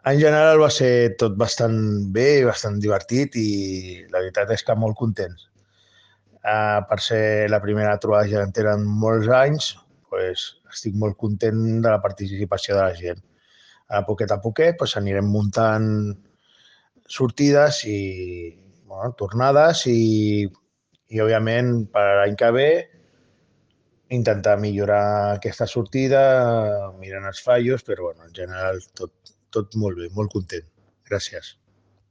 En general va ser tot bastant bé, bastant divertit i la veritat és que molt contents. Per ser la primera trobada gegantera en molts anys, pues, estic molt content de la participació de la gent. A poquet pues, anirem muntant sortides i bueno, tornades i òbviament per l'any que ve intentar millorar aquesta sortida mirant els fallos, però bueno, en general tot molt bé, molt content. Gràcies.